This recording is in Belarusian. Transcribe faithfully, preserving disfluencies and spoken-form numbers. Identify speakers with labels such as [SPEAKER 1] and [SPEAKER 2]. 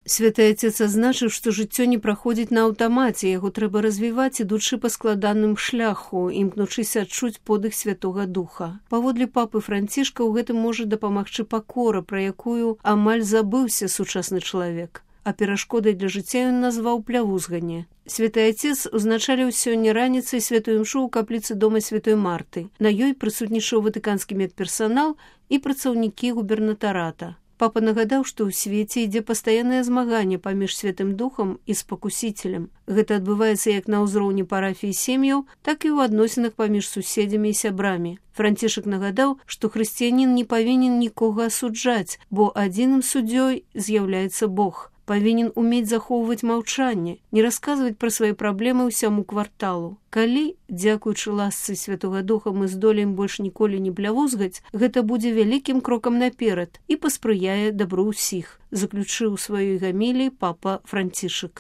[SPEAKER 1] Святы Отец азначыў, што жыццё не праходзіць на аўтамаце, яго трэба развіваць, ідучы па складаным шляху, імкнучыся адчуць подых Святога Духа. Паводле папы Францішка ў гэтым можа дапамагчы пакора, пра якую амаль забыўся сучасны чалавек. А перашкодай для жыцця ён назваў плявузганне. Святы Отец узначаліў сёння раніцай святую імшу ў капліцы дома святой Марты. На ёй прысутнічаў ватыканскі медперсанал і працаўнікі губернатарата. Папа нагадаў, што ў свеце ідзе пастаяннае змаганне паміж Святым Духам і спакусіцелем. Гэта адбываецца як на ўзроўні парафій сем'яў, так і ў адносінах паміж суседзямі і сябрамі. Францішак нагадаў, што хрысціянін не павінен нікога асуджаць, бо адзіным суддзёй з'яўляецца Бог. Павінен умець захоўваць маўчанне, не расказваць пра свае праблемы ўсяму кварталу. Калі, дзякуючы ласцы Святога Духа, мы здолеем больш ніколі не плявузгаць, гэта будзе вялікім крокам наперад і паспрыяе дабру ўсіх, заключыў у сваёй гаміліі папа Францішак.